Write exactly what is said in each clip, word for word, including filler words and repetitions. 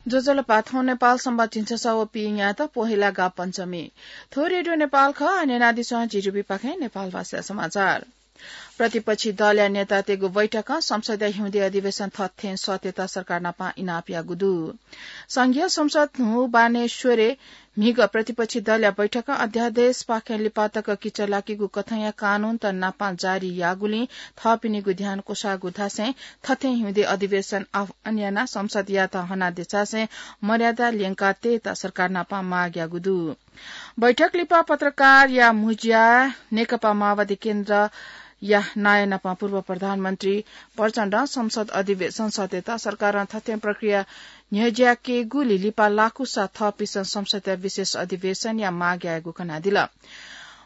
ज्वजलपा, थौं नेपाल संवत् झिंछसः व पीन्यात पोहेला गापञ्चमी। थ्व रेडियो नेपाल खः, न्यनादिसँ झी रुपिपाखें नेपाल भाषा समाचार। प्रतिपक्षी दलया नेतातय्गु बैठकं संसदया हिउँदे अधिवेशन थथें सःतेत सरकार नाप इनाप याःगु दु। संघीय संसद न्हू बानेश्वरय् म्हिगः प्रतिपक्षी दलया बैठकं अध्यादेशपाखें लिपा तक किचः लाकीगु कथंया कानूनत नाप जारी याःगुलिं थःपिनिगु ध्यान क्वसाःगु धासें थथें हिउँदे अधिवेशन आह्वान यानाः संसदयात हना देछासें मर्यादा ल्यंकातयेत सरकार नाप माग याःगु दु। बैठक लिपा पत्रकारया म्हुज्या नेकपा माओवादी केन्द्रया नायः नाप पूर्व प्रधानमन्त्री प्रचण्डं संसद अधिवेशन सःतेत सरकारं थथें प्रक्रिया न्ह्यज्याकेगुली लिपा लाकूसा थःपिसं संसदया विशेष अधिवेशनया माग यायेगु कनादिल।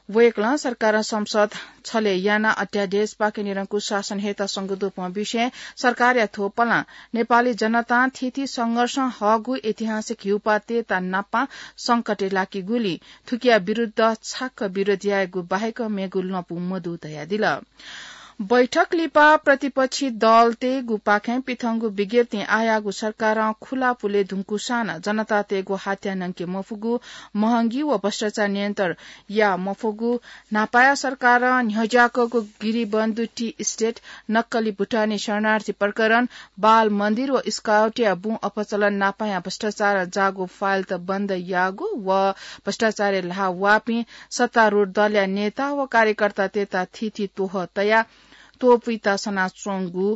वय्कलं सरकारं संसद छले यानाः अध्यादेशपाखे निरंकुश शासन हयेत संगदुपं विषयं सरकारया थ्व पलां नेपाली जनतां थीथी संघर्षं हःगु ऐतिहासिक हिउपाः तयेत नाप संकटय् लाकीगुली थुकिया विरुद्ध छाक्क विरोध यायेगु बाहेक मेगु लँपु मदु धयादिल। बैठक लिपा प्रतिपक्षी दलतय्गुपाखें पिथंगु विज्ञप्तिं आःयाःगु सरकारं खुला पुले धुंकूसां नं जनतातय्गु हात्या नंके मफुगु, महंगी व भ्रष्टाचार नियन्त्रण याये मफुगु, न्हापाया सरकारं न्ह्यज्याकूगु गिरिबन्धु टी इस्टेट, नक्कली भुटानी शरणार्थी प्रकरण, बाल मन्दिर व स्काउटया बुँ अपचलन नापया भ्रष्टाचारं जाःगु फाइलत बन्द याःगु व भ्रष्टाचारय् ल्हाः वःपिं सत्तारूढ दलया नेता व कार्यकर्तातय्त थीथी त्वहः तयाः त्वपुइत सनाच्वंगु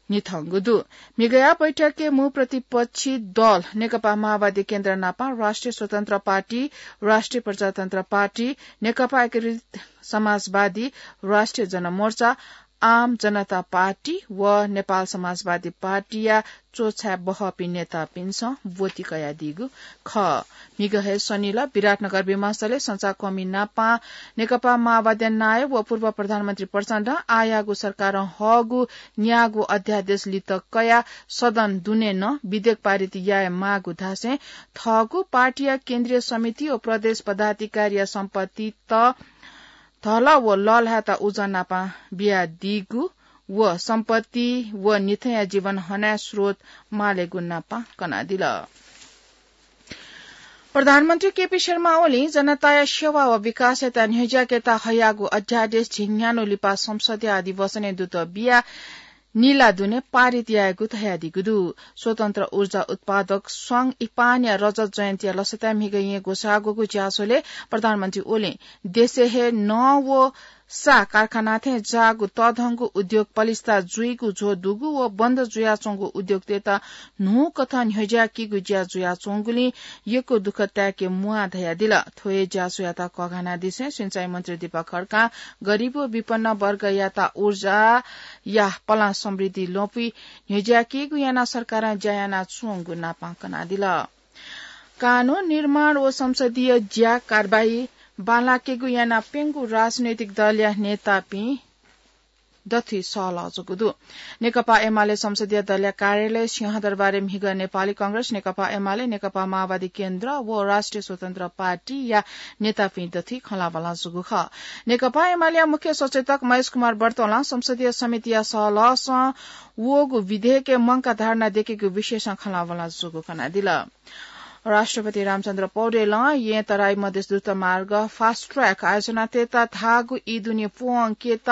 न्ह्यथंगु दु। म्हिगःया बैठकय् मू प्रतिपक्षी दल नेकपा माओवादी केन्द्र नाप राष्ट्रिय स्वतन्त्र पार्टी, राष्ट्रिय प्रजातन्त्र पार्टी, नेकपा एकीकृत समाजवादी, राष्ट्रिय जनमोर्चा, आम जनता पार्टी व नेपाल समाजवादी पार्टीया च्वछाय् बहःपिं नेतापिन्सं ब्वति कयादीगु खः। म्हिगः हे शनिलः विराटनगर विमानस्थलय् संचारकर्मी नाप नेकपा माओवादी नायः व पूर्व प्रधानमन्त्री प्रचण्डं आःयाःगु सरकारं हःगु न्यागू अध्यादेश लित कयाः सदन दुने नं विधेयक पारित याये माःगु धासें थःगु पार्टीया केन्द्रीय समिति व प्रदेश पदाधिकारीया सम्पत्तित धलः व लःल्हायेत उजं नाप बियादीगु व सम्पत्ति व निथंया जीवन हनाया स्रोत मालेगु नाप कनादिल। प्रधानमन्त्री केपी शर्मा ओलीं जनताया सेवा व विकासयात न्ह्यज्याकेत हयागु अध्यादेश झिंन्यान्हु लिपा संसदया अधिवेशनय् दुत बियाः निला दुने पारित यायेगु धयादीगु दु। स्वतन्त्र ऊर्जा उत्पादक स्वाङ इपानया रजत जयन्तीया लसताय् म्हिगः येँ ग्वसाःगुगु ज्याझ्वलय् प्रधानमन्त्री ओलीं देशय् हे नं व सा कारखाना थें जाःगु तःधंगु उद्योग पलिस्था जुइगु झ्वः दुगु व बन्द जुयाच्वंगु उद्योगतय्त न्हूकथं न्ह्यज्याकीगु ज्या जुयाच्वंगुलिं यक्व दुःख ताय्के म्वाः धयादिल। थ्व हे ज्याझ्वःयात कःघानादिसें सिँचाइ मन्त्री दीपक खड्कां गरीब व विपन्न वर्गयात ऊर्जाया पलां समृद्धि लँपुइ न्ह्यज्याकीगु यानाः सरकारं ज्या यानाच्वंगु नाप कनादिल। कानून निर्माण व संसदीय ज्या कारबाही बांलाकेगु यानाः प्यंगू राजनैतिक दलया नेतापिं दथुइ सहलह जूगु दु। नेकपा एमाले संसदीय दलया कार्यालय सिंहदरबारय् म्हिगः नेपाली कांग्रेस, नेकपा एमाले, नेकपा माओवादी केन्द्र व राष्ट्रिय स्वतन्त्र पार्टीया नेतापिं दथुइ खँल्हाबल्हा जूगु खः। नेकपा एमालेया मुख्य सचेतक महेश कुमार बर्तोलं संसदीय समितिया सहलहसं वःगु विधेयकय् मंकाः धारणा दयेकेगु विषयसं खँल्हाबल्हा जूगु कनादिल। राष्ट्रपति रामचन्द्र पौडेलं येँ तराई मधेस द्रुतमार्ग fast track आयोजना तयेत धाःगु ई दुने प्वंकेत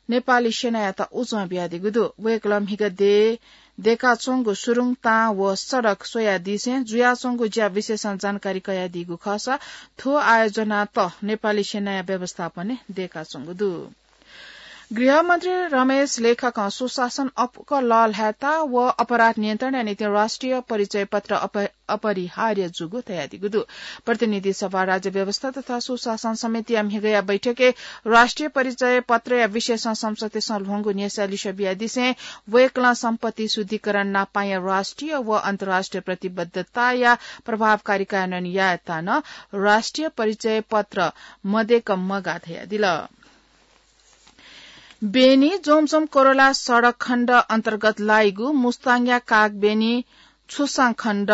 नेपाली सेनायात उजं बियादीगु दु। वय्कलं म्हिगः देय् दय्काच्वंगु सुरुङ, तां व सडक स्वयादीसें जुयाच्वंगु ज्या विषयसं जानकारी कयादीगु खःसा थ्व आयोजनात नेपाली सेनाया व्यवस्थापनय् दय्काच्वंगु दु। गृहमन्त्री रमेश लेखकं सुशासन अप्वः लःल्हायेत व अपराध नियन्त्रणया निंतिं राष्ट्रिय परिचय पत्र अप-, अपरिहार्य जूगु धयादीगु दु। प्रतिनिधि सभा राज्य व्यवस्था तथा सुशासन समितिया म्हिगःया बैठकय् राष्ट्रिय परिचय पत्रया विषयसं संसदय् सल्हंगु न्ह्यसः लिसः बियादिसें वय्कलं सम्पत्ति शुद्धिकरण नापाया राष्ट्रिय व अन्तर्राष्ट्रिय प्रतिबद्धताया प्रभावकारी कार्यान्वयन यायेत नं राष्ट्रिय परिचय पत्र मदय्क मगाः धयादिल। बेनी जोमसोम कोरोला सडक खण्ड अन्तर्गत लाइगु मुस्ताङया कागबेनी छुसाङ खण्ड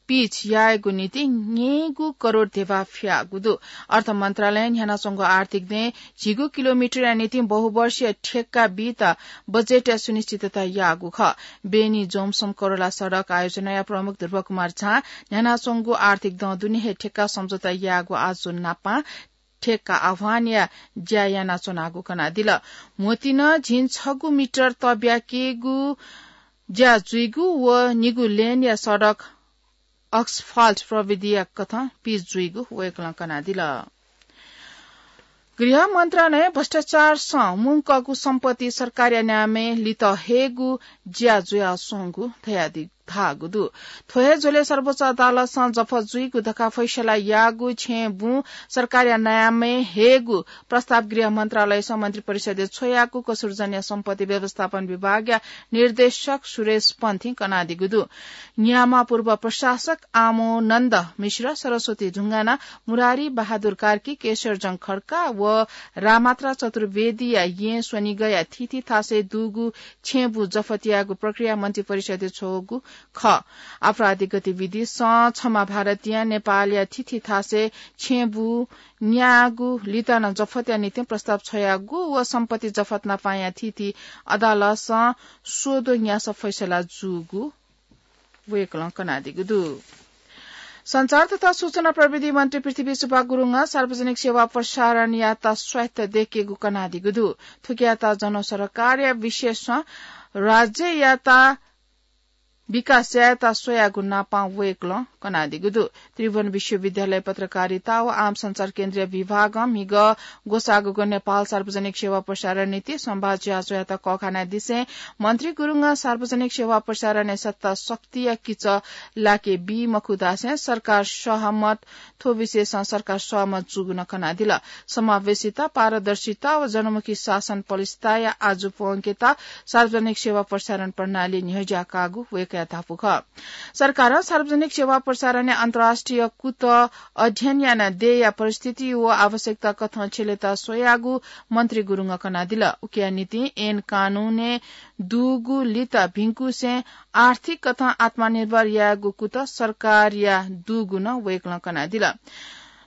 पिच यायेगु निंतिं न्यय्गू करोड ध्यबा फियागु दु। अर्थ मन्त्रालयं न्ह्यानाच्वंगु आर्थिक दँय् झिगू किलोमिटरया निंतिं बहुवर्षीय ठेक्का बीत बजेटया सुनिश्चितता याःगु खः। बेनी जोमसम करोला सडक आयोजनाया प्रमुख ध्रुव कुमार झां न्ह्यानाच्वंगु आर्थिक दँ दुने हे ठेक्का सम्झौता याःगु आजु नापं ठेक्का आह्वानया ज्या यानाच्वनागु कनादिल। म्होतिं झिंछगू मिटर तब्याकेगु ज्या जुइगु व निगू लेनया सडक asphalt प्रविधिया कथं पिच जुइगु वय्कलं कनादिल। गृह मन्त्रालयं भ्रष्टाचारसं मुंकःगु सम्पत्ति सरकारया नामय् लित हयेगु ज्या जुयाच्वंगु धयादि-, धाःगु दु। थ्व हे झ्वलय् सर्वोच्च अदालतसं जफत जुइगु धकाः फैसला याःगु छेँय् बुँ सरकारया नामय् हयेगु प्रस्ताव गृह मन्त्रालयसं मन्त्रिपरिषदय् छ्वयागु कसुरजन्य सम्पत्ति व्यवस्थापन विभागया निर्देशक सुरेश पन्थीं कनादीगु दु। न्याम्ह पूर्व प्रशासक आमोनन्द मिश्र, सरस्वती ढुङ्गाना, मुरारी बहादुर कार्की, केशरजंग खड्का व रामात्रा चतुर्वेदीया येँ स्वनिगःया थीथी थासय् दुगु छेँबुँ जफत यायेगु प्रक्रिया मन्त्रिपरिषदय् छ्वःगु खः। आपराधिक गतिविधिसं छम्ह भारतीयं नेपालया थीथी थासय् छेँबुँ न्याःगु लित नं जफतया निंतिं प्रस्ताव छ्वयागु व सम्पत्ति जफत नापंया थीथी अदालतसं स्वदँ न्यासा फैसला जूगु वय्कलं कनादीगु दु। सञ्चार तथा सूचना प्रविधि मन्त्री पृथ्वी सुब्बा गुरुङं सार्वजनिक सेवा प्रसारणयात स्वायत्त दयेकेगु कनादीगु दु। थुकियात जनसरोकारया विशेषं राज्ययात विकास यायेत स्वयागु नापं वय्कलं कनादीगु दु। त्रिभुवन विश्वविद्यालय पत्रकारिता व आम सञ्चार केन्द्रीय विभागं म्हिगः ग्वसाःगु नेपाल सार्वजनिक सेवा प्रसारण नीति संवाद ज्याझ्वःयात कःघानादिसें मन्त्री गुरुङं सार्वजनिक सेवा प्रसारणय् सत्ता शक्तिया किचः लाके बी मखु धासें सरकार सहमत, थ्व विषयसं सरकार सहमत जूगु नं कनादिल। समावेशिता, पारदर्शिता व जनमुखी शासन पलिस्थिताया आजु प्वंकेत सार्वजनिक सेवा प्रसारण प्रणाली न्ह्यज्याकाःगु वय्कःया धापू खः। सरकारं सार्वजनिक सेवा प्रसारणया अन्तर्राष्ट्रिय कुतः अध्ययन यानाः देय्या परिस्थिति व आवश्यकता कथं छ्यलेत स्वयागु मन्त्री गुरुङं कनादिल। उकिया निंतिं ऐन कानूनय् दुगु लित भिंकुसें आर्थिक कथं आत्मनिर्भर यायेगु कुतः सरकारया दुगु नं वय्कलं कनादिल।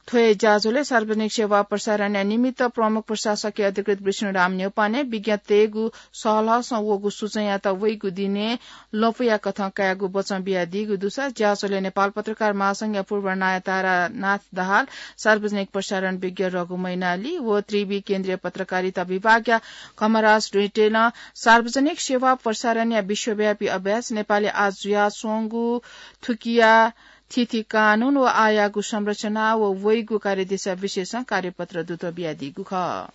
थ्व हे ज्याझ्वलय् सार्वजनिक सेवा प्रसारणया निमित्त प्रमुख प्रशासकीय अधिकृत विष्णुराम न्यौपाने विज्ञ तयेगु सहलहसं वःगु सूचनायात वइगु दिनय् लँपुया कथं कायेगु वचं बियादीगु दुसा ज्याझ्वलय् नेपाल पत्रकार महासंघया पूर्व नायः तारानाथ दाहाल, सार्वजनिक प्रसारण विज्ञ रघु मैनाली व त्रिवि केन्द्रीय पत्रकारिता विभागया घमराज डुइटेलं सार्वजनिक सेवा प्रसारणया विश्वव्यापी अभ्यास नेपालय् आः जुयाच्वंगु थुकिया थीथी कानून व आःयागु संरचना व वइगु कार्यदिशा विषयसं कार्यपत्र दुत बियादीगु खः।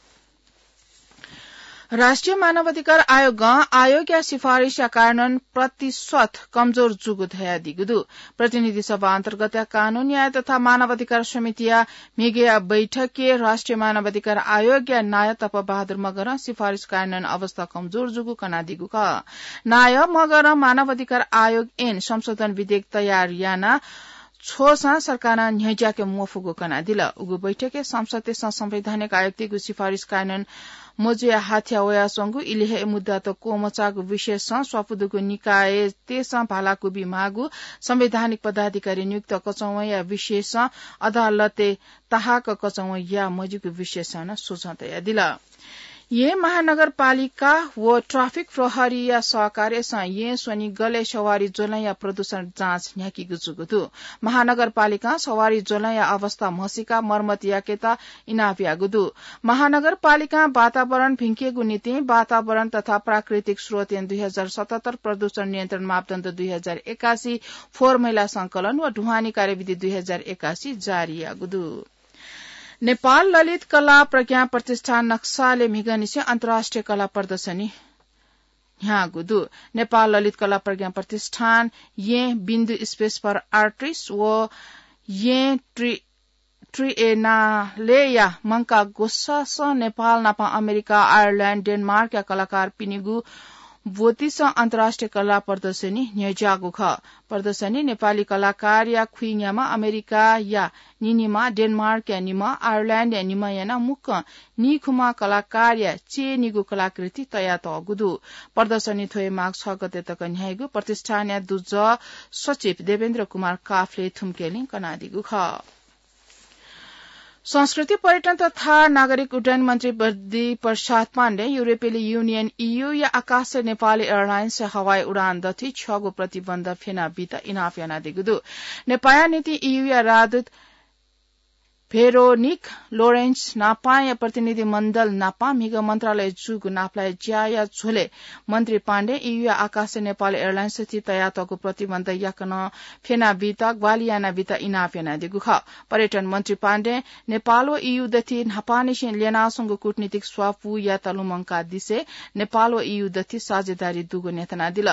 राष्ट्रिय मानवाधिकार आयोगं आयोगया सिफारिसया कार्यान्वयन प्रतिशत कमजोर जूगु धयादीगु दु। प्रतिनिधि सभा अन्तर्गतया कानून न्याय तथा मानवाधिकार समितिया म्हिगःया बैठकय् राष्ट्रिय मानवाधिकार आयोगया नायः तप बहादुर मगरं सिफारिस कार्यान्वयन अवस्था कमजोर जूगु कनादीगु खः। नायः मगरं मानवाधिकार आयोग ऐन संशोधन विधेयक तयार याना छ्वःसां सरकारं न्ह्यज्याके मफुगु कनादिल। उगु बैठकय् सांसदतय्सं संवैधानिक आयुक्तयागु सिफारिस कार्यान्वयन मजुया हाथ्या वयाच्वंगु, इलि हे मुद्दात क्वमचाःगु विषयसं स्वापू दुगु निकायतय्सं भालाकुबी माःगु, संवैधानिक पदाधिकारी नियुक्त कचंवया विषयसं अदालतय् ताहाक कचंवया मजुइगु विषयसं नं सुझाव तयादिल। येँ महानगरपालिका व ट्राफिक प्रहरीया सहकार्यसं येँ स्वनिगलय् सवारी ज्वलंया प्रदूषण जाँच न्ह्याकीगु जूगु दु। महानगरपालिकां सवारी ज्वलंया अवस्था म्हसीका मर्मत याकेत इनाप याःगु दु। महानगरपालिकां वातावरण भिंकेगु निंतिं वातावरण तथा प्राकृतिक स्रोत ऐन दुई हजार सतहत्तर, प्रदूषण नियन्त्रण मापदण्ड दुई हजार एकासी, फोहोर मैला संकलन व ढुवानी कार्यविधि दुई हजार एकासी जारी याःगु दु। नेपाल ललित कला प्रज्ञा प्रतिष्ठान नक्सालय् म्हिगःनिसें अन्तर्राष्ट्रिय कला प्रदर्शनी न्ह्याःगु दु। नेपाल ललित कला प्रज्ञा प्रतिष्ठान येँ बिन्दु Space for Artists व येँ ट्रि-, ट्रिएनालेया मंकाः ग्वसासं नेपाल नाप अमेरिका, आयरल्याण्ड, डेनमार्कया कलाकारपिनिगु ब्वतिस अन्तर्राष्ट्रिय कला प्रदर्शनी न्ह्यज्याःगु खः। प्रदर्शनी नेपाली कलाकारया खुइन्यामा अमेरिकाया निनिमा, डेनमार्कया निमा, आयरल्याण्डया निमा यानाः मुक्कं नीखुम्ह कलाकारया चय्‌निगू कलाकृति तयातःगु दु। प्रदर्शनी थ्व हे माघ छ गते तक न्ह्याइगु प्रतिष्ठानया दुजः सचिव देवेन्द्र कुमार काफले थुम्केलिं कनादीगु खः। संस्कृति, पर्यटन तथा नागरिक उड्डयन मन्त्री प्रदीप प्रसाद पाण्डे युरोपेली युनियन, ईयूया आकाशय् नेपाली एयरलाइन्सया हवाई उडान दथुइ छ्यःगु प्रतिबन्ध फ्यना बीत इनाप यानादीगु दु। नेपाःया निंतिं ईयूया राजदूत भेरोनिक लोरेन्स नापांया प्रतिनिधि मण्डल नापां म्हिगः मन्त्रालय जूगु नापलाये ज्याया झ्वलय् मन्त्री पाण्डे ईयूया आकाशय् नेपाल एयरलाइन्स थी तयातःगु प्रतिबन्ध याकनं फ्यना बीत ग्वाहालि याना बीत इनाप यानादीगु खः। पर्यटन मन्त्री पाण्डे नेपाल व ईयू दथुइ न्हापांनिसें ल्यनाच्वंगु कूटनीतिक स्वापू यात लुमंकादिसे नेपाल व ईयू दथुइ साझेदारी दुगु न्ह्यथनादिल।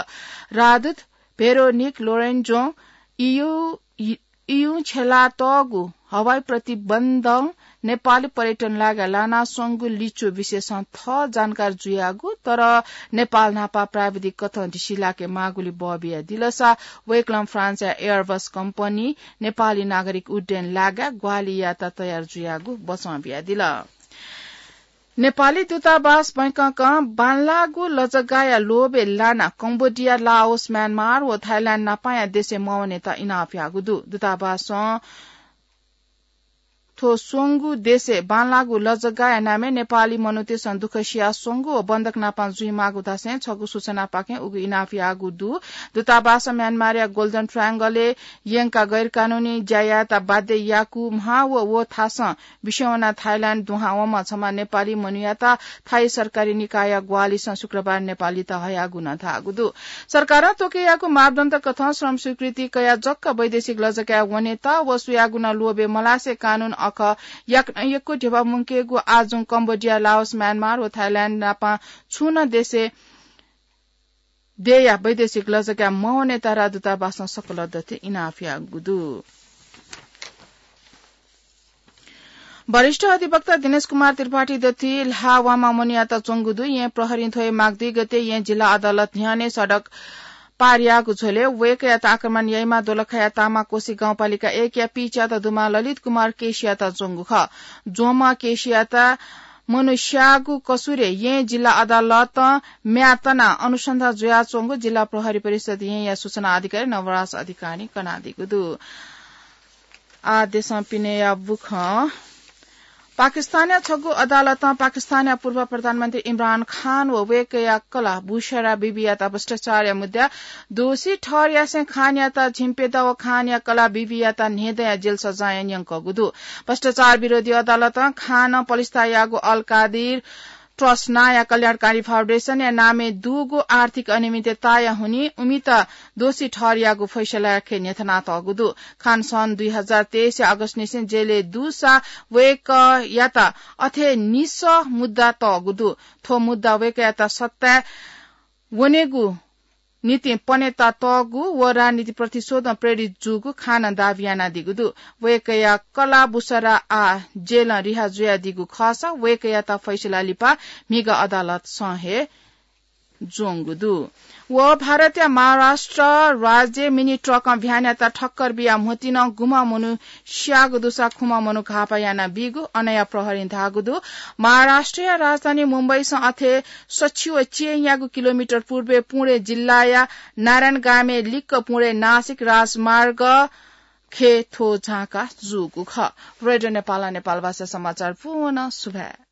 राजदूत भेरोनिक लोरेन्जों ईयू, ईयूं छ्यलातःगु हवाई प्रतिबन्धं नेपाली पर्यटन लागाय् लानाच्वंगु लिच्वः विषयसं थः जानकार जुयागु, तर नेपाल न्हापा प्राविधिक कथं दिसिलाके माःगुलिं बः बियादिलसा वय्कलं फ्रान्सया एयरबस कम्पनी नेपाली नागरिक उड्डयन लागाय् ग्वाहालि यायेत तयार जुयागु बचं बियादिल। नेपाली दूतावास बैंककं बांलाःगु लजगाःया लोभय् लानाः कम्बोडिया, लाओस, म्यानमार व थाइल्याण्ड नापांया देशय् मवनेत इनाप याःगु दु। दूतावासं थ्व स्वंगू देशय् बांलाःगु लजगाःया नामय् नेपाली मनूतय्सं दुःख सियाः स्वंगू व बन्धक नापां जुइमाःगु धासें छगू सूचनापाखें उगु इनाप याःगु दु। दूतावासं म्यानमारया गोल्डन ट्रायंगलय् यंकाः गैरकानूनी ज्या यायेत बाध्य याकूम्ह व व थासं बिस्युं वनाः थाइल्याण्ड दुहां वंम्ह छम्ह नेपाली मनूयात थाई सरकारी निकायया ग्वाहालिसं शुक्रबार नेपालीत हयागु नं धाःगु दु। सरकारं तोकेयागु मापदण्ड कथं श्रम स्वीकृति कयाः जक वैदेशिक लजगाय् वनेत व सुयागु नं लोभय् मलासे कानून अखः याकनं यक्व ध्यबा मुंकेगु आजुं कम्बोडिया, लाओस, म्यानमार व थाइल्याण्ड नापां छुं नं देशय् देय्‌या वैदेशिक लजगाय् मवनेत राजदूतावासं सकल दथुइ इनाप याःगु दु। वरिष्ठ अधिवक्ता दिनेश कुमार त्रिपाठी दथुइ ल्हाः वांमा मनूयात च्वंगु दु। येँ प्रहरीं थ्व हे माघ दुई गते येँ जिल्ला अदालत न्ह्यःने सडक पार याःगु झ्वलय् वय्‌कःयात आक्रमण याइम्ह दोलखाया तामाकोशी गाउँपालिका एकया पीच्यात दुम्ह ललित कुमार केसीयात ज्वंगु खः। ज्वंम्ह केसीयात मनू स्याःगु कसुरय् येँ जिल्ला अदालतं म्ये तनाः अनुसन्धान जुयाच्वंगु जिल्ला प्रहरी परिषद येँया सूचना अधिकारी नवराज अधिकारीं कनादीगु दु। आः देशं पिनेया बुखँ। पाकिस्तानया छगू अदालतं पाकिस्तानया पूर्व प्रधानमन्त्री इमरान खान व वय्‌कःया कलाः बुशरा बिबीयात भ्रष्टाचारया मुद्दाय् दोषी ठहर यासें खानयात झिंप्यदँ व खानया कलाः बिबीयात न्हय्‌दँया जेल सजाँय न्यंकूगु दु। भ्रष्टाचार विरोधी अदालतं खानं पलिस्तायागु अल कादिर ट्रस्ट नांया कल्याणकारी फाउन्डेशनया नामय् दुगु आर्थिक अनियमितताया हुनिं उमित दोषी ठहर याःगु फैसलायाखे न्ह्यथनातःगु दु। खान सन् दुई हजार तेइसया अगस्तनिसें जेलय् दुसा वय्‌कःयात अथे निसः मुद्दा तःगु दु। थ्व मुद्दा वय्‌कःयात सत्ताय् वनेगु निंतिं पनेता तःगु व राजनीति प्रतिशोधं प्रेरित जूगु खानं दाबी यानादीगु दु। वय्‌कःया कलाः बुशरा आः जेलं रिहा जुयादीगु खःसा वय्‌कःयात फैसला लिपा म्हिगः अदालतं हे ज्वंगु दु। व भारतया महाराष्ट्र राज्यय् मिनी ट्रकं भ्यानयात ठक्कर बियाः म्होतिनं गुम्ह मनू स्याःगु दुसा खुम्ह मनू घाःपा यानाबीगु अनया प्रहरीं धाःगु दु। महाराष्ट्रया राजधानी मुम्बईसं अथे सछि व चेंयागु किलोमिटर पूर्वय् पुणे जिल्लाया नारायणगामय् लिक्क पुणे नासिक राजमार्ग खे थ्व झांका जूगु खः। रेडियो नेपालं नेपालभाषा समाचार पूवं सुभाय्।